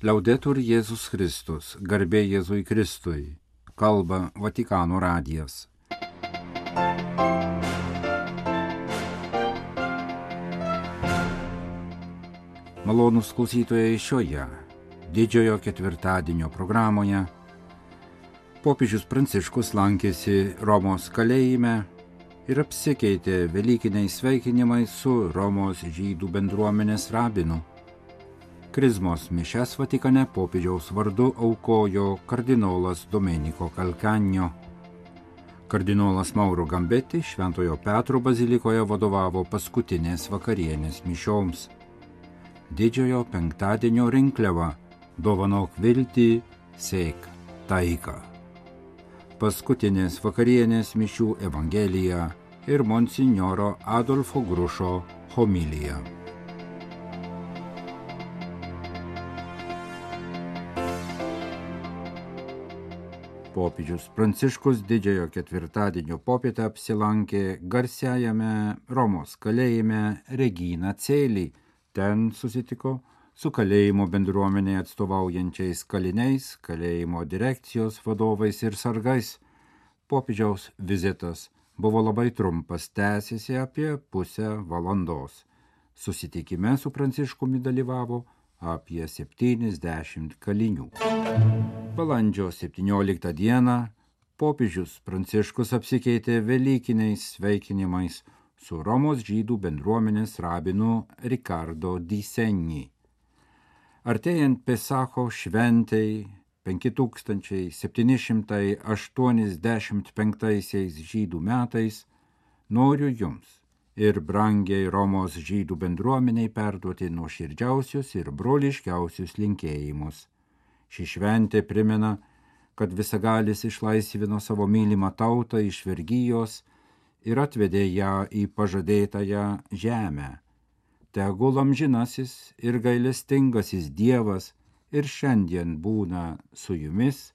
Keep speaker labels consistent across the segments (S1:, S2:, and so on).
S1: Liaudetur Jėzus Kristus, garbė Jėzui Kristui, kalba Vatikano radijas. Malonūs klausytojai, šioje didžiojo ketvirtadienio programoje popiežius Pranciškus lankėsi Romos kalėjime ir apsikeitė velykiniais sveikinimais su Romos žydų bendruomenės rabinu. Krizmos mišias Vatikane popiežiaus vardu aukojo kardinolas Domenico Calcagno. Kardinolas Mauro Gambetti Šventojo Petro bazilikoje vadovavo paskutinės vakarienės mišioms. Didžiojo penktadienio rinkliava dovanok viltį, sėk taiką. Paskutinės vakarienės mišių evangelija ir monsinjoro Adolfo Grušo homilija. Popiežius Pranciškus didžiojo ketvirtadienio popietę apsilankė garsiajame Romos kalėjime Regina Coeli. Ten susitiko su kalėjimo bendruomenė atstovaujančiais kaliniais, kalėjimo direkcijos vadovais ir sargais. Popiežiaus vizitas buvo labai trumpas, tęsėsi apie pusę valandos. Susitikime su Pranciškumi dalyvavo apie 70 kalinių. Balandžio 17 dieną popiežius Pranciškus apsikeitė velykiniais sveikinimais su Romos žydų bendruomenės rabinu Riccardo Di Segni. Artėjant Pesacho šventei 5785 žydų metais noriu jums ir brangiai Romos žydų bendruomeniai perduoti nuoširdžiausius ir broliškiausius linkėjimus. Ši šventė primena, kad visagalis išlaisvino savo mylimą tautą iš vergijos ir atvedė ją į pažadėtąją žemę. Tegul amžinasis ir gailestingasis Dievas ir šiandien būna su jumis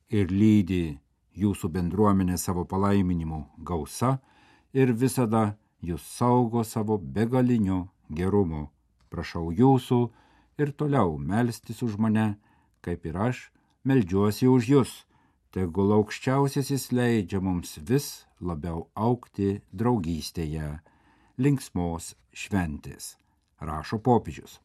S1: ir lydi jūsų bendruomenė savo palaiminimu gausa ir visada jūs saugo savo begaliniu gerumu. Prašau jūsų ir toliau melstis už mane, kaip ir aš meldžiuosi už jus. Tegul aukščiausiasis leidžia mums vis labiau augti draugystėje, linksmos šventės, rašo popiežius.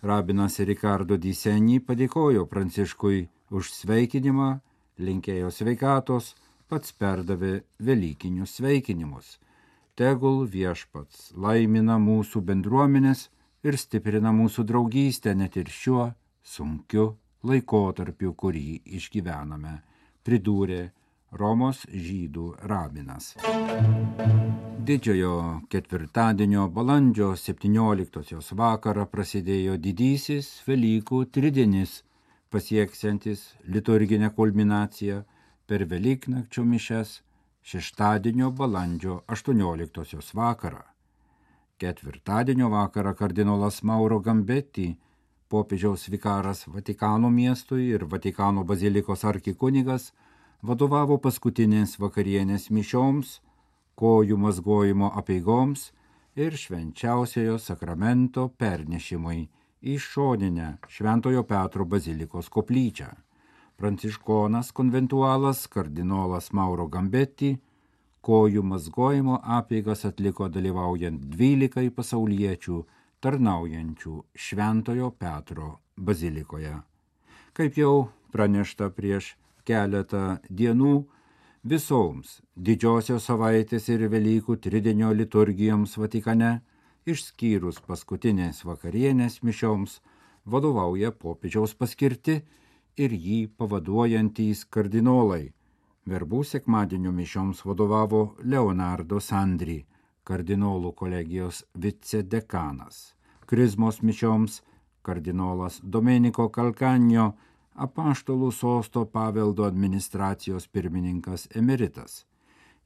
S1: Rabinas Riccardo Di Segni padėkojo Pranciškui už sveikinimą, linkėjo sveikatos, pats perdavė velykinius sveikinimus. Tegul viešpats laimina mūsų bendruomenės ir stiprina mūsų draugystę net ir šiuo sunkiu laikotarpiu, kurį išgyvename, pridūrė Romos žydų rabinas. Didžiojo ketvirtadienio balandžio 17 vakarą prasidėjo didysis Velykų tridienis, pasieksiantis liturginę kulminaciją per Velyknakčio mišias šeštadienio balandžio 18 vakarą. Ketvirtadienio vakarą kardinolas Mauro Gambetti, popiežiaus vikaras Vatikano miestui ir Vatikano bazilikos arkikunigas, vadovavo paskutinės vakarienės mišioms, kojų mazgojimo apeigoms ir švenčiausiojo sakramento pernešimui į šoninę Šventojo Petro bazilikos koplyčią. Pranciškonas konventualas kardinolas Mauro Gambetti kojų mazgojimo apeigas atliko dalyvaujant 12 pasauliečių tarnaujančių Šventojo Petro bazilikoje. Kaip jau pranešta prieš keletą dienų, visoms didžiosios savaitės ir Velykų tridienio liturgijoms Vatikane, išskyrus paskutinės vakarienės mišioms, vadovauja popiežiaus paskirti ir jį pavaduojantys kardinolai. Verbų sekmadienio mišioms vadovavo Leonardo Sandri, kardinolų kolegijos vicedekanas. Krizmos mišioms kardinolas Domenico Calcagno, apaštalų sosto paveldo administracijos pirmininkas emeritas.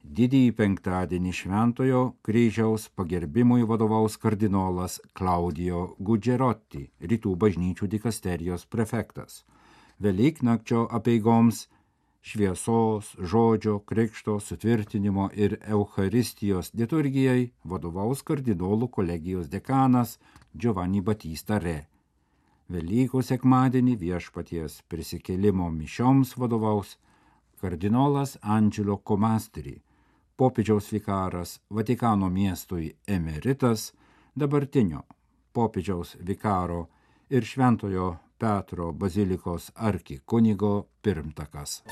S1: Didįjį penktadienį Šventojo kryžiaus pagerbimui vadovaus kardinolas Claudio Gugerotti, rytų bažnyčių dikasterijos prefektas. Velyknakčio apeigoms šviesos, žodžio, krikšto, sutvirtinimo ir Eucharistijos liturgijai vadovaus kardinolų kolegijos dekanas Giovanni Battista Re. Velykų sekmadienį Viešpaties prisikėlimo mišioms vadovaus kardinolas Angelo Comastri, popiežiaus vikaras Vatikano miestui emeritas, dabartinio popiežiaus vikaro ir Šventojo Petro bazilikos arkikunigo pirmtakas.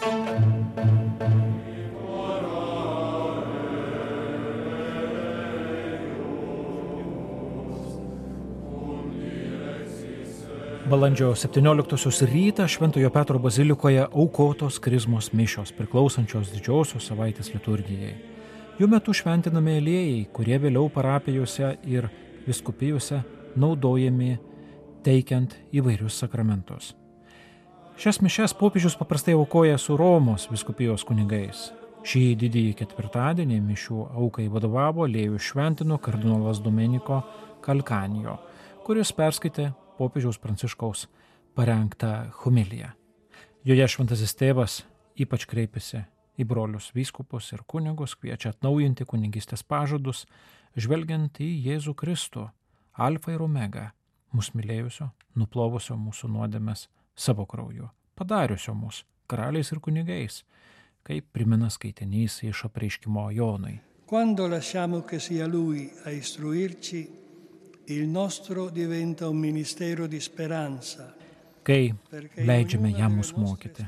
S2: Balandžio 17 rytą Šventojo Petro bazilikoje aukotos krizmos mišios priklausančios didžiosios savaitės liturgijai. Jų metu šventinami aliejai, kurie vėliau parapijose ir vyskupijose naudojami teikiant įvairius sakramentus. Šias mišias popiežius paprastai aukoja su Romos vyskupijos kunigais. Šį didįjį ketvirtadienį mišių aukai vadovavo aliejų šventino kardinolas Domenico Calcagno, kuris perskaitė popiežiaus Pranciškaus parengtą homiliją. Joje šventasis tėvas ypač kreipėsi į brolius vyskupus ir kunigus, kviečia atnaujinti kunigystės pažadus, žvelgiant į Jėzų Kristų, alfa ir omega, mus mylėjusio, nuplovusio mūsų nuodėmes savo krauju, padariusio mus karaliais ir kunigais, kaip primena skaitinys iš apreiškimo Jonui.
S3: Quando lasciamo che sia Lui a istruirci, il nostro diventa un ministero di speranza.
S2: Kai leidžiame jam mus mokyti,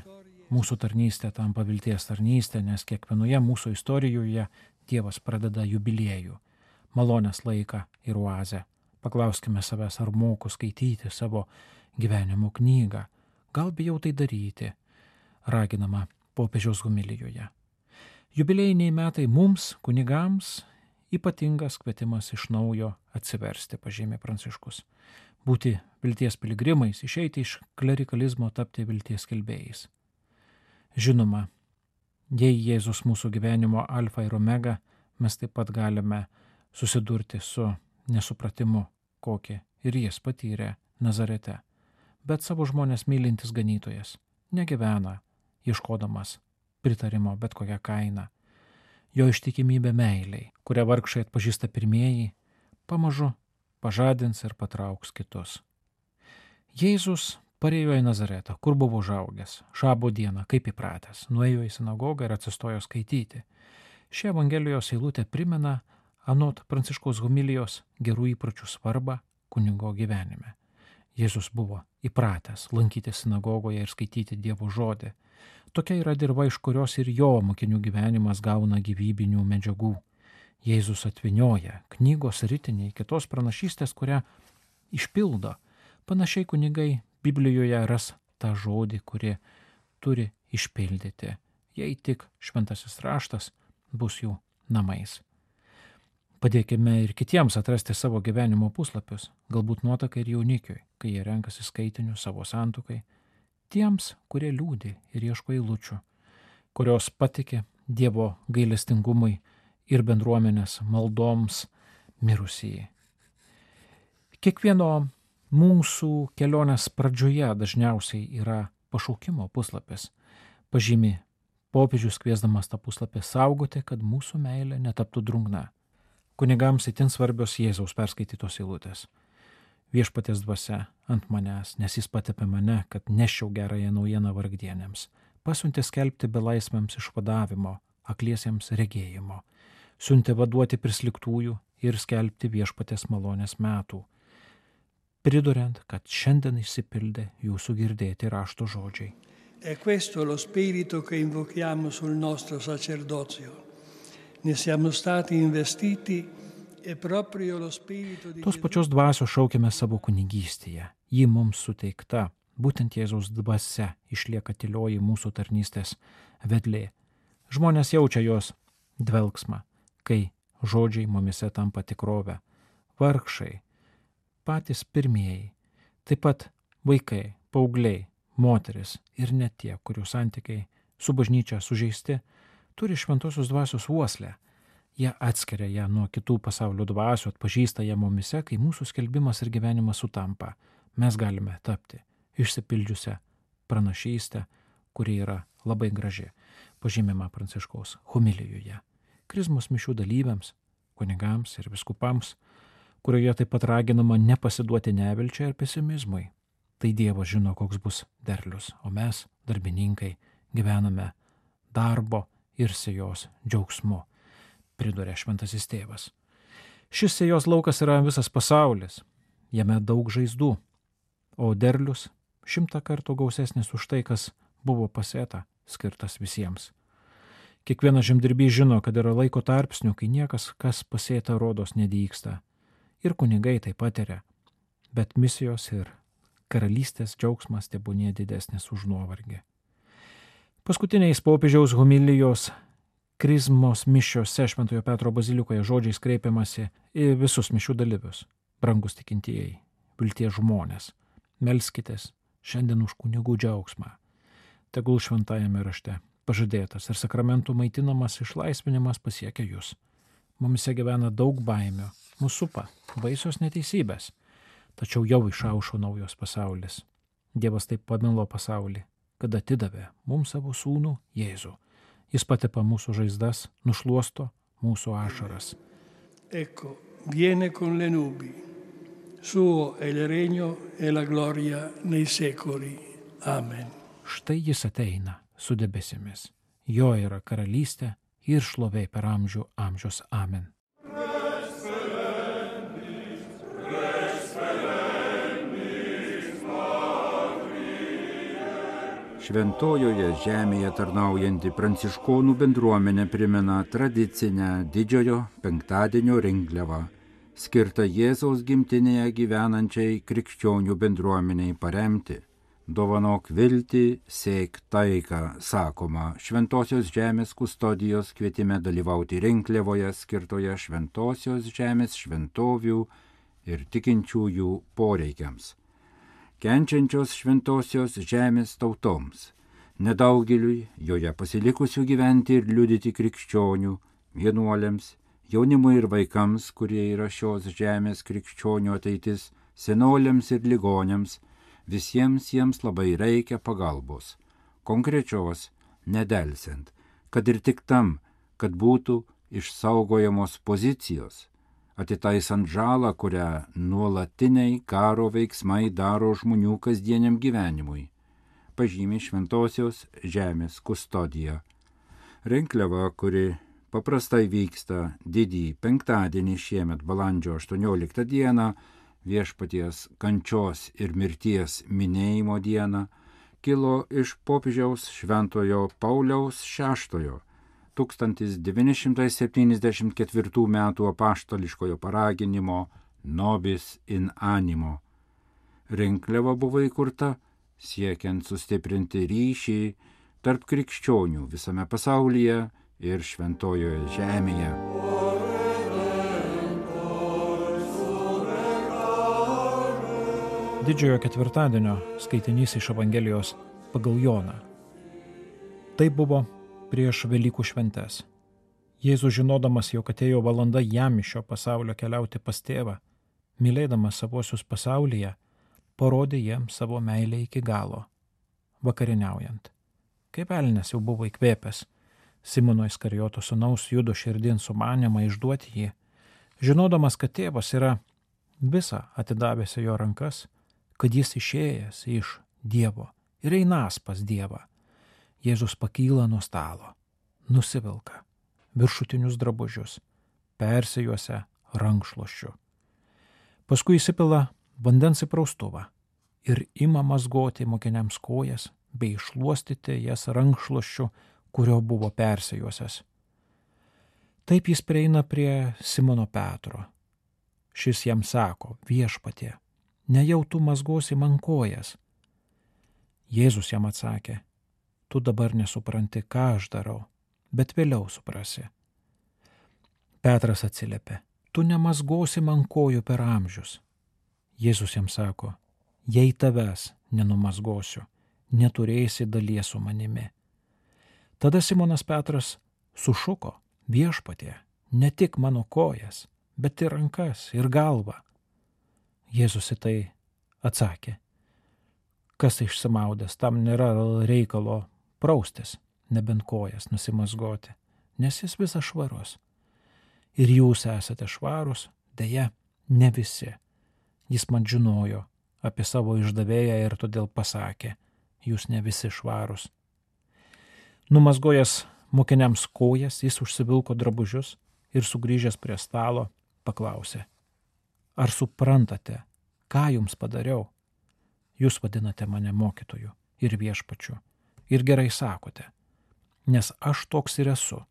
S2: mūsų tarnystė tampa vilties tarnystė, nes kiekvienoje mūsų istorijoje Dievas pradeda jubiliejų, malonės laiką ir oazę. Paklauskime savęs, ar moku skaityti savo gyvenimo knygą, gal bijau tai daryti, raginama popiežiaus homilijoje. Jubiliejiniai metai mums, kunigams, ypatingas kvietimas iš naujo atsiversti, pažymė Pranciškus. Būti vilties piligrimais, išeiti iš klerikalizmo, tapti vilties skelbėjais. Žinoma, jei Jėzus mūsų gyvenimo alfa ir omega, mes taip pat galime susidurti su nesupratimu, kokį ir jis patyrė Nazarete. Bet savo žmonės mylintis ganytojas negyvena, ieškodamas pritarimo bet kokią kainą. Jo ištikimybė meiliai, kurią vargšai atpažįsta pirmieji, pamažu pažadins ir patrauks kitus. Jėzus parėjo į Nazaretą, kur buvo užaugęs, šabo dieną, kaip įpratęs, nuėjo į sinagogą ir atsistojo skaityti. Ši Evangelijos eilutė primena anot Pranciškaus homilijos gerų įpročių svarbą kunigo gyvenime. Jėzus buvo įpratęs lankyti sinagogoje ir skaityti Dievo žodį. Tokia yra dirva, iš kurios ir jo mokinių gyvenimas gauna gyvybinių medžiagų. Jėzus atvinioja knygos ritiniai kitos pranašystės, kurią išpildo. Panašiai kunigai Biblijoje ras tą žodį, kurį turi išpildyti, jei tik šventasis raštas bus jų namais. Padėkime ir kitiems atrasti savo gyvenimo puslapius, galbūt nuotakai ir jaunikiui, kai jie renkasi skaitinius savo santuokai, tiems, kurie liūdi ir ieško eilučių, kurios patiki Dievo gailestingumui ir bendruomenės maldoms mirusieji. Kiekvieno mūsų kelionės pradžioje dažniausiai yra pašaukimo puslapis. Pažymi popiežius kviesdamas tą puslapį saugoti, kad mūsų meilė netaptų drungna. Kunigams itin svarbios Jėzaus perskaitytos eilutės. Viešpaties dvasia ant manęs, nes jis patepė mane, kad neščiau gerąją naujieną vargdienėms, pasiuntė skelbti belaisviams išvadavimo, akliesiems regėjimo, siuntė vaduoti prisliktųjų ir skelbti viešpaties malonės metų, priduriant, kad šiandien išsipildė jūsų girdėti rašto žodžiai.
S3: È questo lo spirito che invochiamo sul nostro sacerdozio. Ne siamo stati investiti e proprio lo spirito di
S2: Tos pačios dvasios šaukiame savo kunigystėje. Ji mums suteikta, būtent Jėzaus dvasia išlieka tylioji mūsų tarnystės vedlė. Žmonės jaučia jos dvelgsmą, kai žodžiai mumise tampa tikrovę. Vargšai, patys pirmieji, taip pat vaikai, paaugliai, moteris ir net tie, kurių santykiai su bažnyčia sužeisti, turi šventosios dvasios uoslę. Jie atskiria ją nuo kitų pasaulio dvasių, atpažįsta ją mumise, kai mūsų skelbimas ir gyvenimas sutampa. Mes galime tapti išsipildžiusią pranašystę, kuri yra labai graži, pažymima Pranciškaus homilijoje. Krizmos mišių dalyviams, kunigams ir viskupams, kurioje taip pat raginama nepasiduoti nevilčiai ir pesimizmui. tai Dievas žino, koks bus derlius, o mes, darbininkai, gyvename darbo ir sėjos džiaugsmu, priduria šventasis tėvas. Šis sėjos laukas yra visas pasaulis, jame daug žaizdų, o derlius 100 kartų gausesnis už tai, kas buvo pasėta, skirtas visiems. Kiekvienas žemdirbys žino, kad yra laiko tarpsnių, kai niekas, kas pasėta, rodos nedygsta. Ir kunigai tai patiria, bet misijos ir karalystės džiaugsmas tebūnie didesnis už nuovargį. Paskutiniais popiežiaus homilijos krizmos mišiose Šventojo Petro bazilikoje žodžiais kreipiamasi į visus mišių dalyvius. Brangus tikintieji, vilties žmonės, melskitės šiandien už kunigų džiaugsmą. Tegul šventajame rašte pažadėtas ir sakramentų maitinamas išlaisvinimas pasiekia jūs. Mumise gyvena daug baimių, mūsų supa baisios neteisybės, tačiau jau išaušo naujos pasaulis. Dievas taip pamilo pasaulį, kad atidavė mums savo sūnų Jėzų. Jis patepa mūsų žaizdas, nušluosto mūsų ašaras.
S3: Ecco, viene con le nubi. Suo è il regno e la gloria nei secoli. Amen.
S2: Štai jis ateina su debesimis. Jo yra karalystė ir šlovė per amžių amžius. Amen.
S1: Šventojoje žemėje tarnaujanti pranciškonų bendruomenė primena tradicinę didžiojo penktadienio rinkliavą, skirtą Jėzaus gimtinėje gyvenančiai krikščionių bendruomeniai paremti. Dovanok viltį, sėk taiką, sakoma Šventosios žemės kustodijos kvietime dalyvauti rinkliavoje skirtoje Šventosios žemės šventovių ir tikinčiųjų poreikiams. Kenčiančios Šventosios žemės tautoms, nedaugeliui joje pasilikusių gyventi ir liudyti krikščionių, vienuoliams, jaunimui ir vaikams, kurie yra šios žemės krikščionių ateitis, senoliams ir ligoniams, visiems jiems labai reikia pagalbos, konkrečios, nedelsiant, kad ir tik tam, kad būtų išsaugojamos pozicijos, atitaisant žalą, kurią nuolatiniai karo veiksmai daro žmonių kasdieniam gyvenimui, pažymi Šventosios žemės kustodija. Rinkliava, kuri paprastai vyksta didįjį penktadienį šiemet balandžio 18 dieną, Viešpaties kančios ir mirties minėjimo dieną, kilo iš popiežiaus Šventojo Pauliaus VI 1974 metų apaštališkojo paraginimo Nobis in animo. Rinkliava buvo įkurta siekiant sustiprinti ryšį tarp krikščionių visame pasaulyje ir Šventojoje žemėje.
S2: Didžiojo ketvirtadienio skaitinys iš Evangelijos pagal Joną. Tai buvo prieš Velykų šventes. Jėzus, žinodamas, jog atėjo valanda jam iš šio pasaulio keliauti pas tėvą, mylėdamas savosius pasaulyje, parodė jiems savo meilę iki galo, vakarieniaujant. Kaip velnias jau buvo įkvėpęs Simono Iskarijoto sūnaus Judo širdin sumanymą išduoti jį, žinodamas, kad tėvas yra visą atidavęs jo rankas, kad jis išėjęs iš Dievo ir einas pas Dievą. Jėzus pakyla nuo stalo, nusivilka viršutinius drabužius, persijuosia rankšluosčiu. Paskui įsipila vandens į praustuvą ir ima mazgoti mokiniams kojas bei iššluostyti jas rankšluosčiu, kurio buvo persijuosęs. Taip jis prieina prie Simono Petro. Šis jam sako: Viešpatie, nejau tu mazgosi man kojas. Jėzus jam atsakė: tu dabar nesupranti, ką aš darau, bet vėliau suprasi. Petras atsiliepė: tu nemazgosi man kojų per amžius. Jėzus jam sako: jei tavęs nenumazgosiu, neturėsi dalies su manimi. Tada Simonas Petras sušuko: Viešpatie, ne tik mano kojas, bet ir rankas ir galvą. Jėzus į tai atsakė: kas išsimaudęs, tam nėra reikalo praustis, nebent kojas nusimazgoti, nes jis visas švarus. Ir jūs esate švarus, deja, ne visi. Jis man žinojo apie savo išdavėją ir todėl pasakė, jūs ne visi švarūs. Numazgojęs mokiniams kojas, jis užsivilko drabužius ir sugrįžęs prie stalo paklausė, ar suprantate, ką jums padariau? Jūs vadinate mane mokytoju ir viešpačiu ir gerai sakote, nes aš toks ir esu.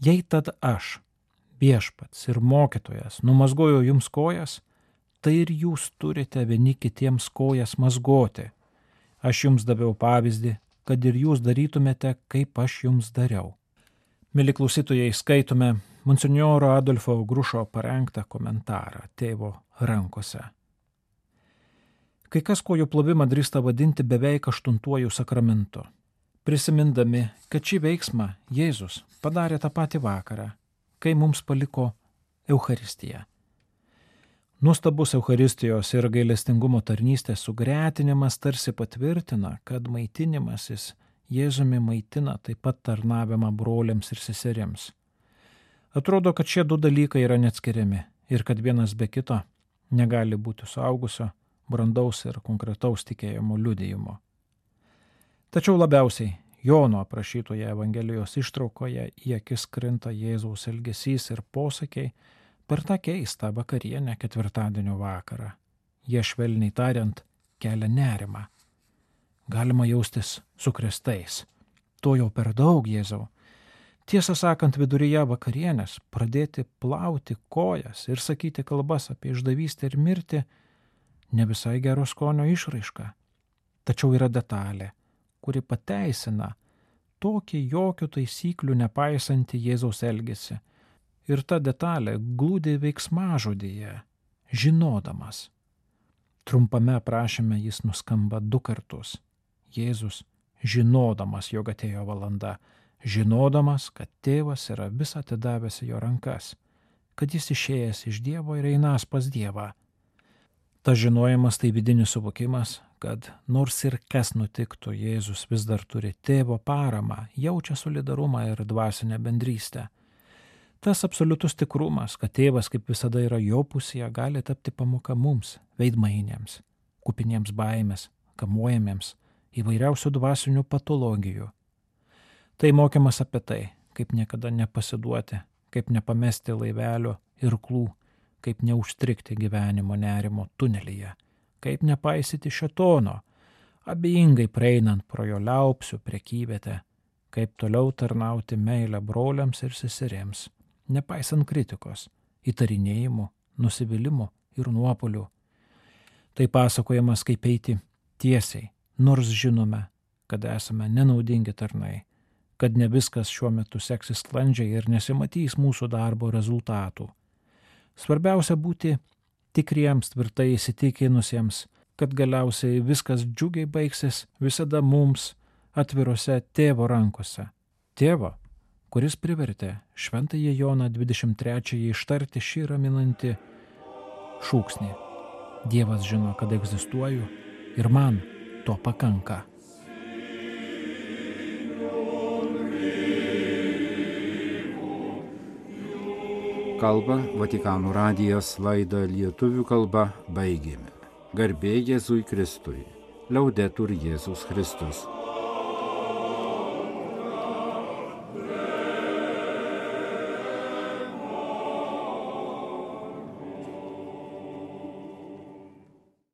S2: Jei tad aš, viešpats ir mokytojas, numazgojau jums kojas, tai ir jūs turite vieni kitiems kojas mazgoti. Aš jums daviau pavyzdį, kad ir jūs darytumėte, kaip aš jums dariau. Mili klausytojai, skaitome monsinjoro Adolfo Grušo parengtą komentarą Tėvo rankose. Kai kas kojų plovimą drįsta vadinti beveik 8 sakramentu, prisimindami, kad šį veiksmą Jėzus padarė tą patį vakarą, kai mums paliko Eucharistiją. Nuostabus Eucharistijos ir gailestingumo tarnystės sugretinimas tarsi patvirtina, kad maitinimasis Jėzumi maitina taip pat tarnavimą broliams ir seserims. Atrodo, kad šie du dalykai yra neatskiriami ir kad vienas be kito negali būti suaugusio, brandaus ir konkretaus tikėjimo liudijimo. Tačiau labiausiai Jono aprašytoje Evangelijos ištraukoje į akis krinta Jėzaus elgesys ir posakiai per tą keistą vakarienę ketvirtadienio vakarą. Jie švelniai tariant kelia nerimą. Galima jaustis sukrėstais. To jau per daug, Jėzau. Tiesą sakant, viduryje vakarienės pradėti plauti kojas ir sakyti kalbas apie išdavystę ir mirtį ne visai gero skonio išraiška. Tačiau yra detalė, kuri pateisina tokį jokių taisyklių nepaisantį Jėzaus elgesį. Ir ta detalė glūdi veiksmažodyje, žinodamas. Trumpame aprašyme jis nuskamba 2 kartus. Jėzus, žinodamas, jog atėjo valanda, žinodamas, kad tėvas yra vis atidavęs į jo rankas, kad jis išėjęs iš Dievo ir einąs pas Dievą. Tas žinojimas tai vidinis suvokimas, kad nors ir kas nutiktų, Jėzus vis dar turi tėvo paramą, jaučia solidarumą ir dvasinę bendrystę. Tas absoliutus tikrumas, kad tėvas kaip visada yra jo pusėje, gali tapti pamoka mums, veidmainiams, kupiniems baimės, kamuojamiems, įvairiausių dvasinių patologijų. Tai mokymas apie tai, kaip niekada nepasiduoti, kaip nepamesti laivelio irklų, kaip neužstrigti gyvenimo nerimo tunelyje, kaip nepaisyti šėtono, abejingai praeinant pro jo liaupsių prekyvietę, kaip toliau tarnauti meilę broliams ir seserims, nepaisant kritikos, įtarinėjimų, nusivylimų ir nuopuolių. Tai pasakojamas, kaip eiti tiesiai, nors žinome, kad esame nenaudingi tarnai, kad ne viskas šiuo metu seksis sklandžiai ir nesimatys mūsų darbo rezultatų. Svarbiausia būti tikriems, tvirtai įsitikinusiems, kad galiausiai viskas džiugiai baigsis visada mums atvirose tėvo rankose. Tėvo, kuris privertė šventąjį Joną 23 ištarti šį raminantį šūksnį. Dievas žino, kad egzistuoju ir man to pakanka.
S1: Kalba Vatikano radijas, laidą lietuvių kalba baigėme. Garbė Jėzui Kristui. Laudetur Jėzus Kristus.